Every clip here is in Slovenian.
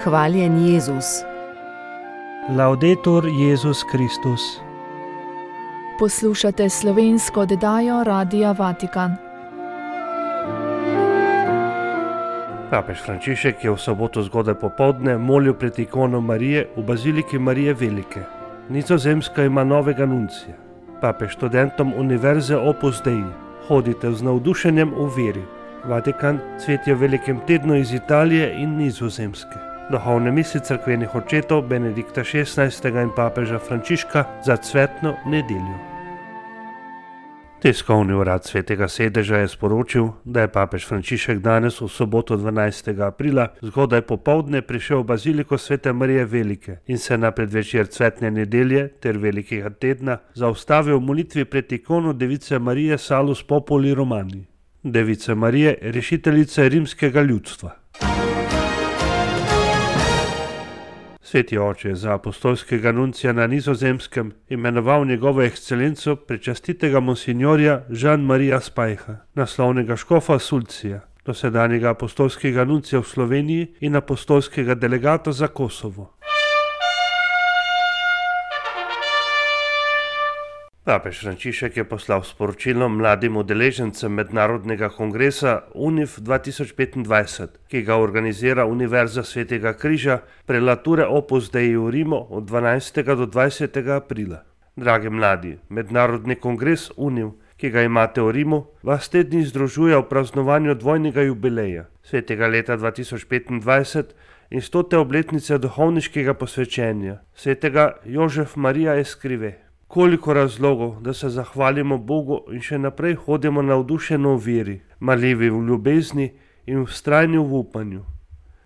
Hvaljen Jezus. Laudetur Jezus Kristus. Poslušate slovensko oddajo Radia Vatikan. Papež Frančišek je v soboto zgodaj popoldne molil pred ikono Marije v baziliki Marije Velike. Nizozemska ima novega nuncija. Papež študentom Univerze Opus Dei: hodite z navdušenjem v veri. Vatikan cveti v velikem tednu iz Italije in Nizozemske. Duhovne misli cerkvenih očetov Benedikta XVI. In papeža Frančiška za cvetno nedeljo. Tiskovni urad Svetega sedeža je sporočil, da je papež Frančišek danes v soboto 12. aprila zgodaj popoldne prišel v baziliko Svete Marije Velike in se na predvečer cvetne nedelje ter velikega tedna zaustavil v molitvi pred ikono Device Marije Salus Populi Romani, Device Marije, rešiteljice rimskega ljudstva. Sveti oče je za apostolskega nuncija na Nizozemskem imenoval njegovo ekscelenco prečastitega monsignorja Jean-Maria Spajha, naslovnega škofa Sulcija, dosedanjega apostolskega nuncija v Sloveniji in apostolskega delegata za Kosovo. Papež Frančišek je poslal sporočilo mladim udeležencem mednarodnega kongresa UNIF 2025, ki ga organizira Univerza Svetega križa prelature Opus Dei v Rimu od 12. do 20. aprila. Dragi mladi, mednarodni kongres UNIF, ki ga imate v Rimu, vas te dni združuje v praznovanju dvojnega jubileja, svetega leta 2025 in 100. obletnice duhovniškega posvečenja, svetega Jožef Marija Escrive. Koliko razlogov, da se zahvalimo Bogu in še naprej hodimo navdušeno v veri, marljivi v ljubezni in vztrajni v upanju.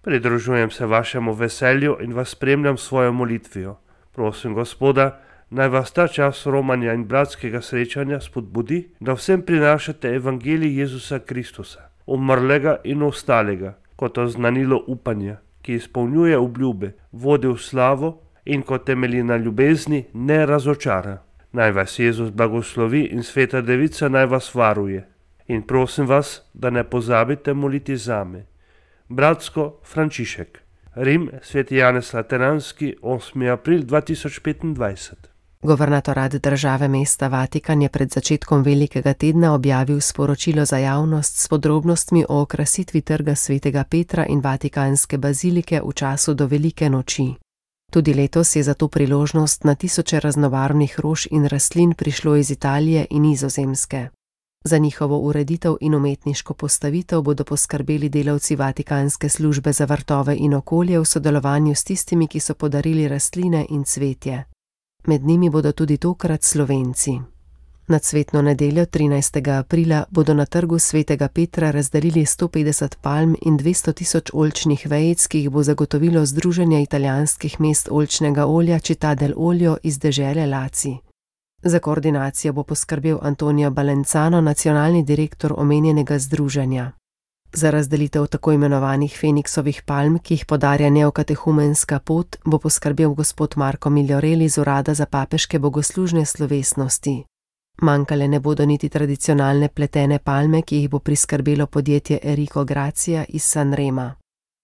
Pridružujem se vašemu veselju in vas spremljam s svojo molitvijo. Prosim Gospoda, naj vas ta čas romanja in bratskega srečanja spodbudi, da vsem prinašate evangelij Jezusa Kristusa, umrlega in ostalega, kot oznanilo upanja, ki izpolnjuje obljube, vodi v slavo in ko temelji na ljubezni, ne razočara. Naj vas Jezus blagoslovi in Sveta Devica naj vas varuje. In prosim vas, da ne pozabite moliti zame. Bratsko Frančišek. Rim, Sveti Janez Lateranski, 8. april 2025. Guvernatorat države mesta Vatikan je pred začetkom velikega tedna objavil sporočilo za javnost s podrobnostmi o okrasitvi trga Svetega Petra in Vatikanske bazilike v času do velike noči. Tudi letos je za to priložnost na tisoče raznobarvnih rož in rastlin prišlo iz Italije in Nizozemske. Za njihovo ureditev in umetniško postavitev bodo poskrbeli delavci Vatikanske službe za vrtove in okolje v sodelovanju s tistimi, ki so podarili rastline in cvetje. Med njimi bodo tudi tokrat Slovenci. Na cvetno nedeljo 13. aprila bodo na trgu Svetega Petra razdelili 150 palm in 200 tisoč oljčnih vejic, ki jih bo zagotovilo Združenje italijanskih mest oljčnega olja Città del Olio iz dežele Laci. Za koordinacijo bo poskrbel Antonio Balenzano, nacionalni direktor omenjenega združenja. Za razdelitev tako imenovanih Feniksovih palm, ki jih podarja neokatehumenska pot, bo poskrbel gospod Marko Migliorelli iz Urada za papeške bogoslužne slovesnosti. Manjkale ne bodo niti tradicionalne pletene palme, ki jih bo priskrbelo podjetje Enrico Grazia iz Sanrema.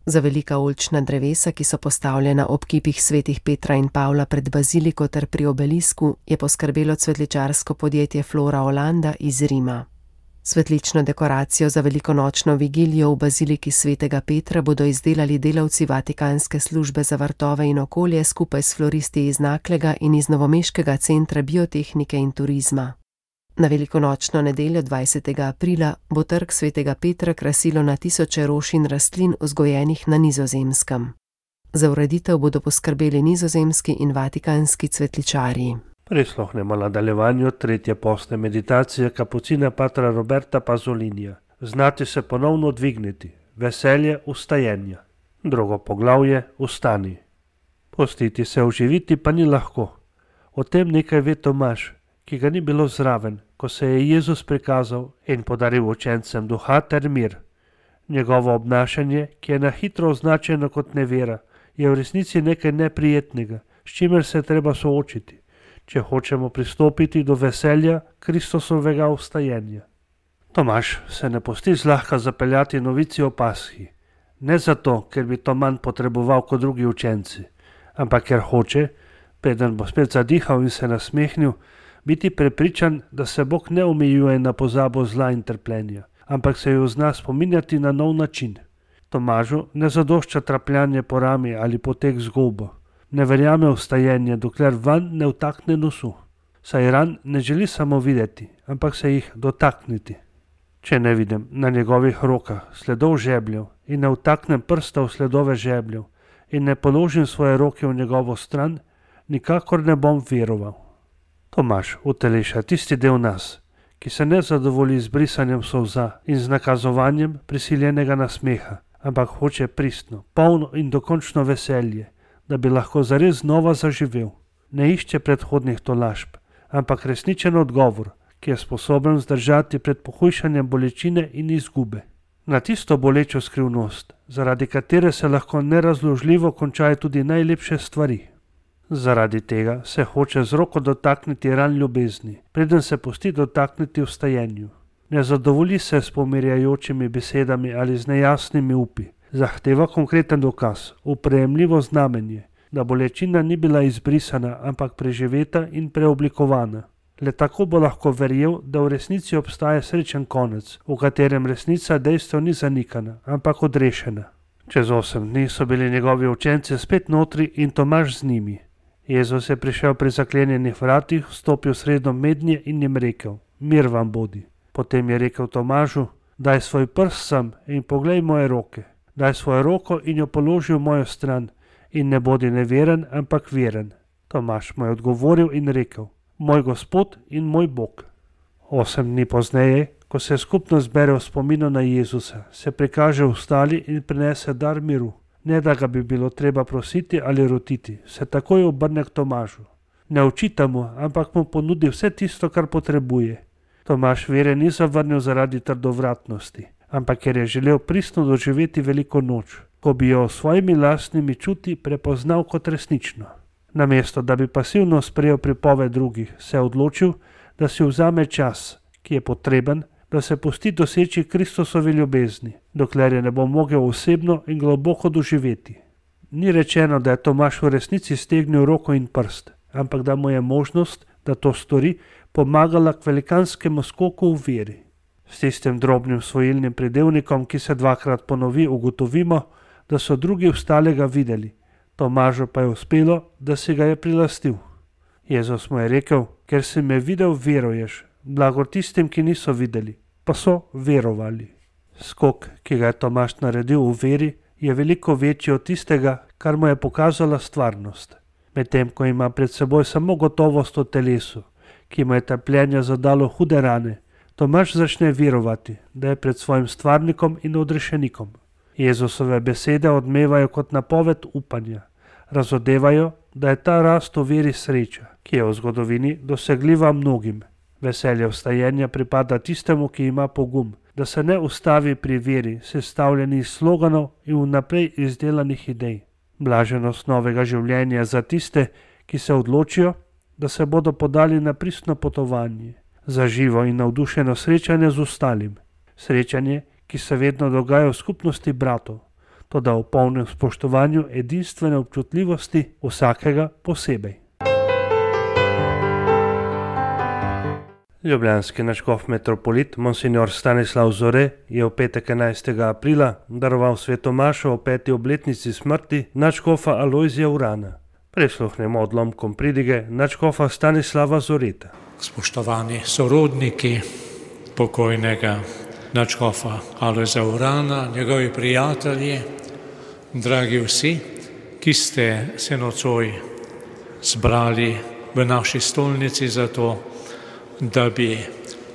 Za velika oljčna drevesa, ki so postavljena ob kipih svetih Petra in Pavla pred baziliko ter pri obelisku, je poskrbelo cvetličarsko podjetje Flora Olanda iz Rima. Svetlično dekoracijo za velikonočno vigilijo v baziliki Svetega Petra bodo izdelali delavci Vatikanske službe za vrtove in okolje skupaj s floristi iz Naklega in iz Novomeškega centra biotehnike in turizma. Na velikonočno nedeljo 20. aprila bo trg Svetega Petra krasilo na tisoče rož in rastlin vzgojenih na Nizozemskem. Za ureditev bodo poskrbeli nizozemski in vatikanski cvetličarji. Prisluhnemo nadaljevanju tretje postne meditacije kapucina patra Roberta Pazolinija. Znati se ponovno dvigniti, veselje vstajenja. Drugo poglavje, vstani. Pustiti se oživiti pa ni lahko. O tem nekaj ve Tomaž, ki ga ni bilo zraven, ko se je Jezus prikazal in podaril učencem duha ter mir. Njegovo obnašanje, ki je na hitro označeno kot nevera, je v resnici nekaj neprijetnega, s čimer se je treba soočiti, če hočemo pristopiti do veselja Kristusovega vstajenja. Tomaž se ne pusti zlahka zapeljati novici o Pashi. Ne zato, ker bi to manj potreboval kot drugi učenci, ampak ker hoče, preden bo spet zadihal in se nasmehnil, biti prepričan, da se Bog ne omejuje na pozabo zla in trpljenja, ampak se jo zna spominjati na nov način. Tomažu ne zadošča trapljanje po rami ali potek z gobo. Ne verjame v stajenje, dokler vanj ne vtakne nosu. Saj ran ne želi samo videti, ampak se jih dotakniti. Če ne vidim na njegovih rokah sledov žebljev in ne vtaknem prsta v sledove žebljev in ne položim svoje roke v njegovo stran, nikakor ne bom veroval. Tomaž uteleša tisti del nas, ki se ne zadovolji z brisanjem solza in z nakazovanjem prisiljenega nasmeha, ampak hoče pristno, polno in dokončno veselje, da bi lahko zares znova zaživel. Ne išče predhodnih tolažb, ampak resničen odgovor, ki je sposoben zdržati pred pohujšanjem bolečine in izgube. Na tisto bolečo skrivnost, zaradi katere se lahko nerazložljivo končajo tudi najlepše stvari. Zaradi tega se hoče z roko dotakniti ran ljubezni, preden se pusti dotakniti v stajenju. Ne zadovolji se s pomirjajočimi besedami ali z nejasnimi upi. Zahteva konkreten dokaz, uprejemljivo znamenje, da bolečina ni bila izbrisana, ampak preživeta in preoblikovana. Le tako bo lahko verjel, da v resnici obstaja srečen konec, v katerem resnica dejstev ni zanikana, ampak odrešena. Čez 8 dni so bili njegovi učenci spet notri in Tomaž z njimi. Jezus je prišel pri zaklenjenih vratih, vstopil sredo mednje in jim rekel: Mir vam bodi. Potem je rekel Tomažu: Daj svoj prst sem in poglej moje roke. Daj svojo roko in jo položi v mojo stran in ne bodi neveren, ampak veren. Tomaž mu je odgovoril in rekel: Moj Gospod in moj Bog. 8 dni pozneje, ko se skupno zbere v spominu na Jezusa, se prikaže ostali in prinese dar miru. Ne da ga bi bilo treba prositi ali rotiti, se takoj obrne k Tomažu. Ne očita mu, ampak mu ponudi vse tisto, kar potrebuje. Tomaž vere ni zavrnil zaradi trdovratnosti, ampak ker je želel pristno doživeti veliko noč, ko bi jo s svojimi lastnimi čuti prepoznal kot resnično. Namesto da bi pasivno sprejel pripoved drugih, se je odločil, da si vzame čas, ki je potreben, da se pusti doseči Kristusovi ljubezni, dokler je ne bo mogel osebno in globoko doživeti. Ni rečeno, da je Tomaž v resnici stegnil roko in prst, ampak da mu je možnost, da to stori, pomagala k velikanskemu skoku v veri. S tistim drobnim svojilnim pridevnikom, ki se 2-krat ponovi, ugotovimo, da so drugi ostalega videli. Tomažu pa je uspelo, da si ga je prilastil. Jezus mu je rekel: Ker si me videl, veruješ, blagor tistim, ki niso videli, pa so verovali. Skok, ki ga je Tomaž naredil v veri, je veliko večji od tistega, kar mu je pokazala stvarnost. Medtem ko ima pred seboj samo gotovost o telesu, ki mu je trpljenje zadalo hude rane, Tomaž začne verovati, da je pred svojim stvarnikom in odrešenikom. Jezusove besede odmevajo kot napoved upanja. Razodevajo, da je ta rast v veri sreča, ki je v zgodovini dosegljiva mnogim. Veselje vstajenja pripada tistemu, ki ima pogum, da se ne ustavi pri veri, sestavljeni iz sloganov in vnaprej izdelanih idej. Blaženost novega življenja za tiste, ki se odločijo, da se bodo podali na pristno potovanje, za živo in navdušeno srečanje z ostalim. Srečanje, ki se vedno dogaja v skupnosti bratov, toda v polnem spoštovanju edinstvene občutljivosti vsakega posebej. Ljubljanski nadškof metropolit Monsignor Stanislav Zore je v petek 11. aprila daroval svetomašo o 5. obletnici smrti nadškofa Alojzija Urana. Prisluhnemo odlomkom pridige nadškofa Stanislava Zoreta. Spoštovani sorodniki pokojnega nadškofa Alojzija Urana, njegovi prijatelji, dragi vsi, ki ste se nocoj zbrali v naši stolnici za to, da bi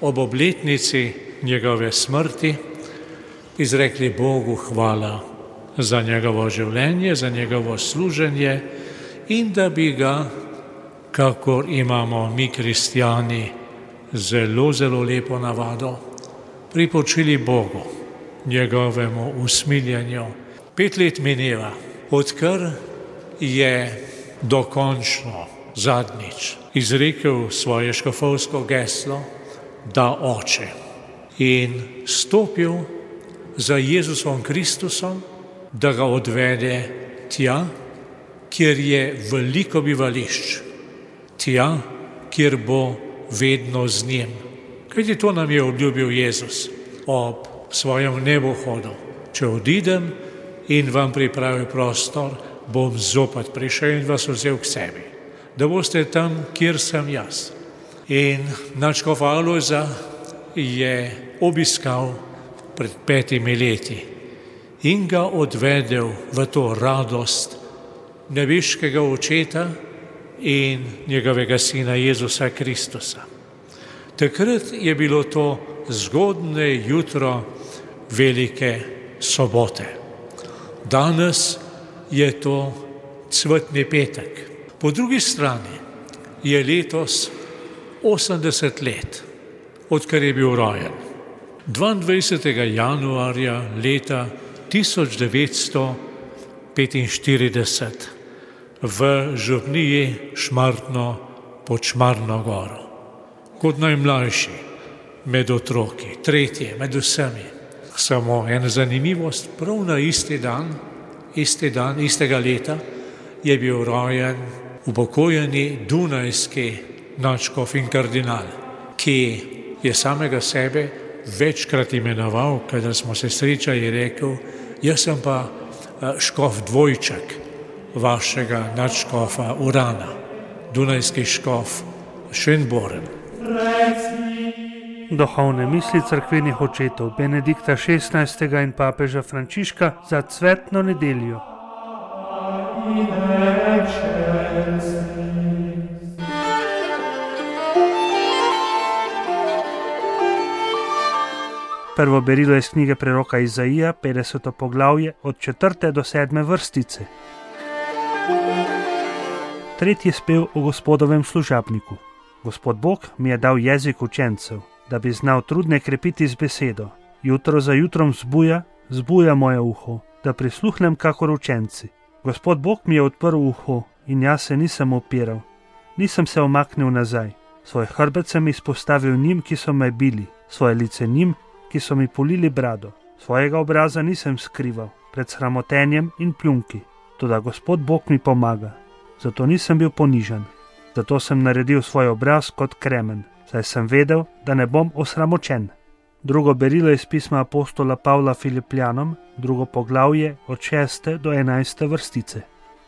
ob obletnici njegove smrti izrekli Bogu hvala za njegovo življenje, za njegovo služenje in da bi ga, kakor imamo mi kristjani zelo, zelo lepo navado, pripočili Bogu, njegovemu usmiljenju. 5 let mineva, odkar je dokončno zadnjič izrekel svoje škofovsko geslo, da Oče, in stopil za Jezusom Kristusom da ga odvede tja, kjer je veliko bivališč, tja, kjer bo vedno z njim. Kajti to nam je obljubil Jezus ob svojem nebohodu. Če odidem in vam pripravim prostor, bom zopet prišel in vas vzel k sebi, da boste tam, kjer sem jaz. In nadškof Alojza je obiskal pred 5 leti in ga odvedel v to radost nebeškega očeta in njegovega sina Jezusa Kristusa. Takrat je bilo to zgodnje jutro velike sobote. Danes je to cvetni petek. Po drugi strani je letos 80 let, odkar je bil rojen. 22. januarja leta 1945 v župniji Šmartno pod Šmarno goro. Kot najmlajši med otroki, tretji med vsemi. Samo ena zanimivost, prav na isti dan, istega leta, je bil rojen upokojeni dunajski nadškof in kardinal, ki je samega sebe večkrat imenoval, kadar smo se srečali, je rekel, jaz sem pa škof dvojček vašega nadškofa Urana, dunajski škof Šenborn. Duhovne misli cerkvenih očetov Benedikta XVI. In papeža Frančiška za cvetno nedeljo. Prvo berilo iz knjige preroka Izaija, 50. poglavje, od 4. do 7. vrstice. Tretji spev o Gospodovem služabniku. Gospod Bog mi je dal jezik učencev, da bi znal trudne krepiti z besedo. Jutro za jutrom zbuja moje uho, da prisluhnem kakor učenci. Gospod Bog mi je odprl uho in jaz se nisem opiral. Nisem se omaknil nazaj. Svoj hrbet sem izpostavil njim, ki so me bili, svoje lice njim, ki so mi polili brado. Svojega obraza nisem skrival pred sramotenjem in pljunki. Toda Gospod Bog mi pomaga. Zato nisem bil ponižan. Zato sem naredil svoj obraz kot kremen, saj sem vedel, da ne bom osramočen. Drugo berilo iz pisma apostola Pavla Filipljanom, 2. poglavje od 6. do 11. vrstice.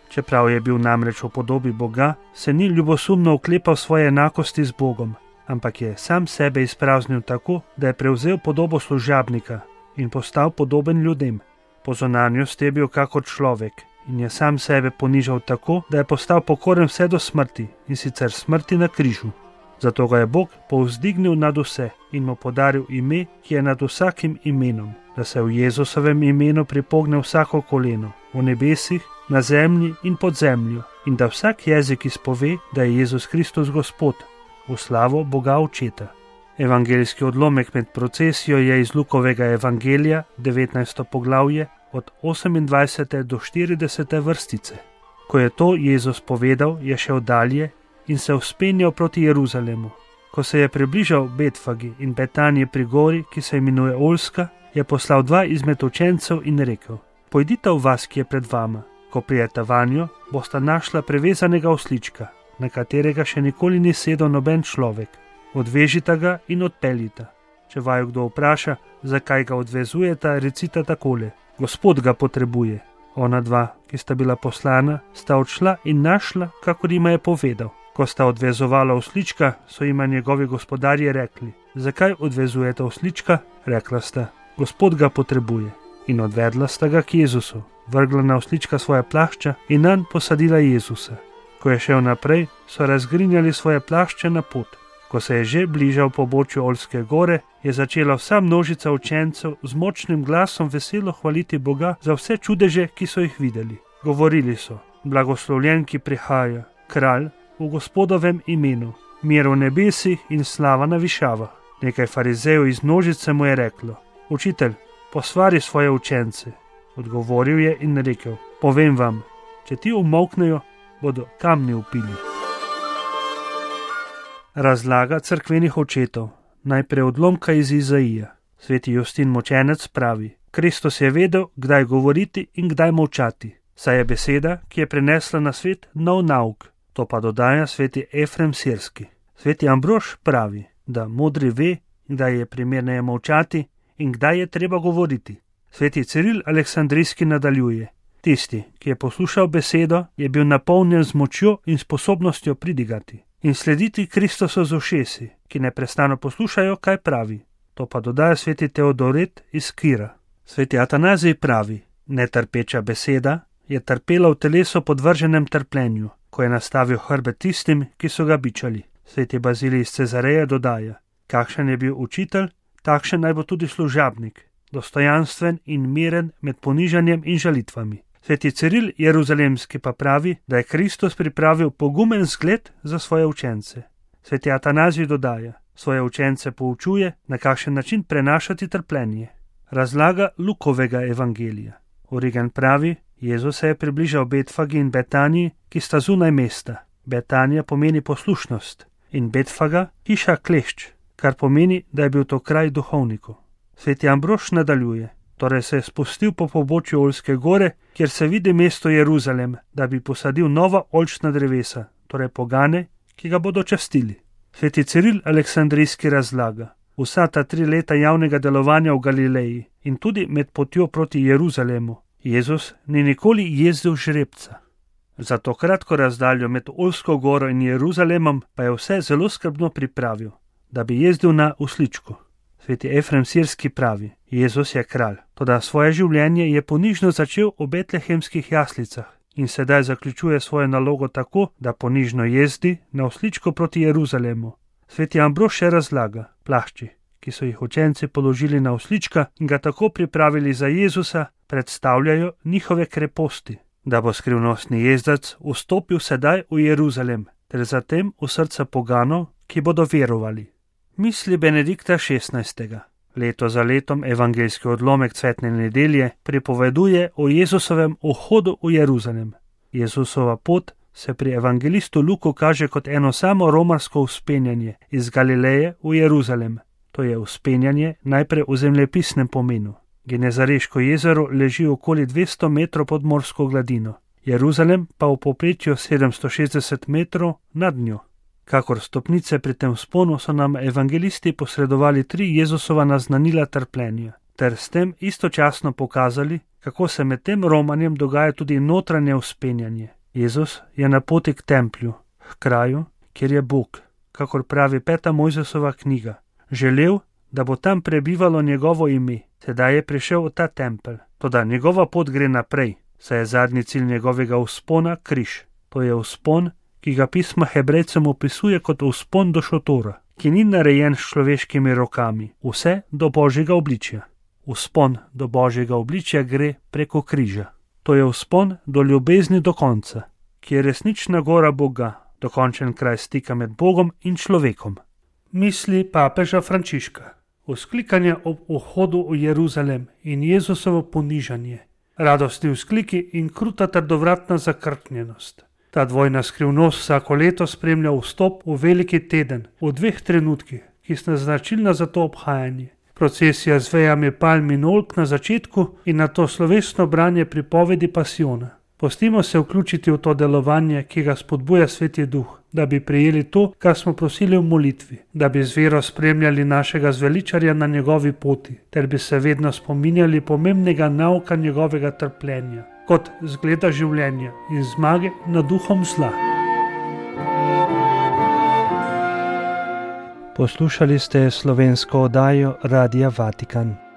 Čeprav je bil namreč v podobi Boga, se ni ljubosumno oklepal svoje enakosti z Bogom, ampak je sam sebe izpraznil tako, da je prevzel podobo služabnika in postal podoben ljudem. Po zunanjosti je bil kakor človek in je sam sebe ponižal tako, da je postal pokoren vse do smrti, in sicer smrti na križu. Zato ga je Bog povzdignil nad vse in mu podaril ime, ki je nad vsakim imenom, da se v Jezusovem imenu pripogne vsako koleno, v nebesih, na zemlji in pod zemljo, in da vsak jezik izpove, da je Jezus Kristus Gospod, v slavo Boga Očeta. Evangeljski odlomek med procesijo je iz Lukovega evangelija, 19. poglavje, od 28. do 40. vrstice. Ko je to Jezus povedal, je šel dalje in se vzpenjal proti Jeruzalemu. Ko se je približal Betfagi in Betanije pri gori, ki se imenuje Oljska, je poslal 2 izmed učencev in rekel: Pojdite v vas, ki je pred vama. Ko prijete vanjo, bosta našla prevezanega oslička, na katerega še nikoli ni sedel noben človek. Odvežite ga in odpeljite. Če vaju kdo vpraša, zakaj ga odvezujete, recite takole: Gospod ga potrebuje. Ona 2, ki sta bila poslana, sta odšla in našla, kakor jima je povedal. Ko sta odvezovala oslička, so jima njegovi gospodarji rekli: Zakaj odvezujete oslička? Rekla sta: Gospod ga potrebuje. In odvedla sta ga k Jezusu, vrgla na oslička svoje plašča in nanj posadila Jezusa. Ko je šel naprej, so razgrinjali svoje plašče na pot. Ko se je že bližal pobočju Oljske gore, je začela vsa množica učencev z močnim glasom veselo hvaliti Boga za vse čudeže, ki so jih videli. Govorili so: Blagoslovljen, ki prihaja, kralj v Gospodovem imenu, mir v nebesih in slava na višavah. Nekaj farizejev iz množice mu je reklo: Učitelj, posvari svoje učence. Odgovoril je in rekel: Povem vam, če ti umolknejo, bodo kamni vpili. Razlaga cerkvenih očetov. Najprej odlomka iz Izaija. Sveti Justin Mučenec pravi: Kristus je vedel, kdaj govoriti in kdaj molčati, saj je beseda, ki je prinesla na svet nov nauk. To pa dodaja sveti Efrem Sirski. Sveti Ambrož pravi, da modri ve, kdaj je primerneje molčati in kdaj je treba govoriti. Sveti Ciril Aleksandrijski nadaljuje. Tisti, ki je poslušal besedo, je bil napolnjen z močjo in sposobnostjo pridigati in slediti Kristusu z ušesi, ki neprestano poslušajo, kaj pravi. To pa dodaja sveti Teodoret iz Kira. Sveti Atanazij pravi, netrpeča beseda je trpela v telesu podvrženem trpljenju, ko je nastavil hrbet tistim, ki so ga bičali. Sveti Bazilij iz Cezareje dodaja, kakšen je bil učitelj, takšen naj bo tudi služabnik, dostojanstven in miren med ponižanjem in žalitvami. Sveti Ciril Jeruzalemski pa pravi, da je Kristus pripravil pogumen zgled za svoje učence. Sveti Atanazij dodaja, svoje učence poučuje, na kakšen način prenašati trpljenje. Razlaga Lukovega evangelija. Origen pravi, Jezus se je približal Betfagi in Betaniji, ki sta zunaj mesta. Betanija pomeni poslušnost in Betfaga hiša klešč, kar pomeni, da je bil to kraj duhovnikov. Sveti Ambrož nadaljuje, torej se je spustil po pobočju Oljske gore, kjer se vidi mesto Jeruzalem, da bi posadil nova oljčna drevesa, torej pogane, ki ga bodo častili. Sveti Ciril Aleksandrijski razlaga, vsa ta 3 leta javnega delovanja v Galileji in tudi med potjo proti Jeruzalemu, Jezus ni nikoli jezdil žrebca. Za to kratko razdaljo med Oljsko goro in Jeruzalemom pa je vse zelo skrbno pripravil, da bi jezdil na usličku. Sveti Efrem Sirski pravi, Jezus je kralj, toda svoje življenje je ponižno začel v betlehemskih jaslicah in sedaj zaključuje svojo nalogo tako, da ponižno jezdi na usličko proti Jeruzalemu. Sveti Ambrož še razlaga, plašči, ki so jih učenci položili na uslička in ga tako pripravili za Jezusa, predstavljajo njihove kreposti, da bo skrivnostni jezdac vstopil sedaj v Jeruzalem, ter zatem v srca poganov, ki bodo verovali. Misli Benedikta XVI. Leto za letom evangeljski odlomek cvetne nedelje pripoveduje o Jezusovem vhodu v Jeruzalem. Jezusova pot se pri evangelistu Luku kaže kot eno samo romarsko vzpenjanje iz Galileje v Jeruzalem. To je vzpenjanje najprej v zemljepisnem pomenu. Genezareško jezero leži okoli 200 metrov pod morsko gladino, Jeruzalem pa v povprečju 760 metrov nad njo. Kakor stopnice pri tem vzponu so nam evangelisti posredovali 3 Jezusova naznanila trpljenja, ter s tem istočasno pokazali, kako se med tem romanjem dogaja tudi notranje vzpenjanje. Jezus je na poti k templju, k kraju, kjer je Bog, kakor pravi 5. Mojzesova knjiga. Želel, da bo tam prebivalo njegovo ime, sedaj je prišel v ta tempelj. Toda njegova pot gre naprej, saj je zadnji cilj njegovega vzpona križ. To je vzpon, ki ga pismo Hebrejcem opisuje kot vzpon do šotora, ki ni narejen s človeškimi rokami, vse do Božjega obličja. Vzpon do Božjega obličja gre preko križa. To je vzpon do ljubezni do konca, ki je resnična gora Boga, dokončen kraj stika med Bogom in človekom. Misli papeža Frančiška, vzklikanje ob vhodu v Jeruzalem in Jezusovo ponižanje, radostni vzkliki in kruta trdovratna zakrknjenost. Ta dvojna skrivnost vsako leto spremlja vstop v veliki teden v 2 trenutkih, ki sta značilna za to obhajanje. Procesija z vejami palm in oljk na začetku in nato slovesno branje pripovedi pasijona. Pustimo se vključiti v to delovanje, ki ga spodbuja Sveti Duh, da bi prejeli to, kar smo prosili v molitvi, da bi z vero spremljali našega zveličarja na njegovi poti, ter bi se vedno spominjali pomembnega nauka njegovega trpljenja, kot zgleda življenja in zmage nad duhom zla. Poslušali ste slovensko oddajo Radia Vatikan.